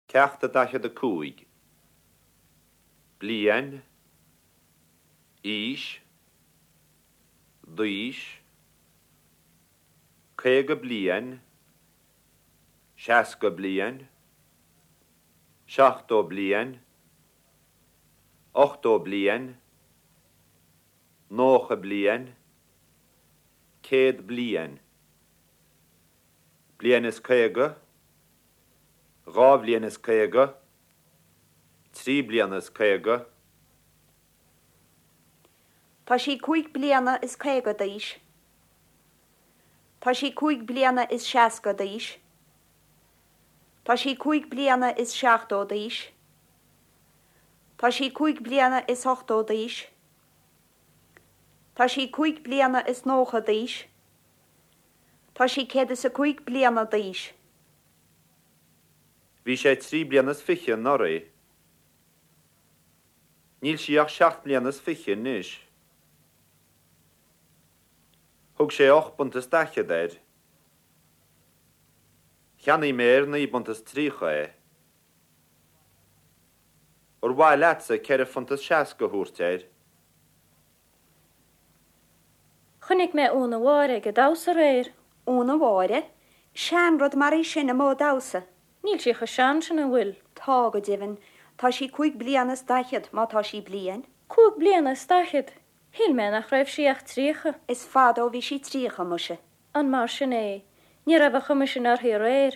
Ceacht 45. Bliain, aois, d'aois, 50 bliain, 60 bliain, 70 bliain, 80 bliain, 90 bliain, 100 bliain. Bliain is 50, 2 bhliain is 50, 3 bliana is 50. Tá sí cúig bliana is 50 d'aois. Tá sí cúig bliana is 60 d'aois. Tá sí cúig bliana is 70 d'aois. Tá sí cúig bliana is 80 d'aois. Tá sí cúig bliana is 90 d'aois. Tá sí 105 bliana d'aois. Bhí sé trí bliana is fiche anuraidh. Níl sí ach seacht mbliana is fiche anois. Thug sé ocht bpunt is daichead air. Cheannaigh mé ar naoi bpunt is tríocha é. Ar mhaith leatsa ceithre phunt is seasca a thabhairt air? Chonaic mé Úna Mháire ag an damhsa aréir. Úna Mháire? Seanrud mar í sin amuigh ag damhsa. Níl sí chomh sean sin, an bhfuil? Tá, go deimhin. Tá sí cúig bliana is daichead, má tá sí bliain. Cúig bliana is daichead? Shíl mé nach raibh sí ach tríocha. Is fada ó bhí sí tríocha, muise. An mar sin é? Ní raibh an chuma sin uirthi aréir.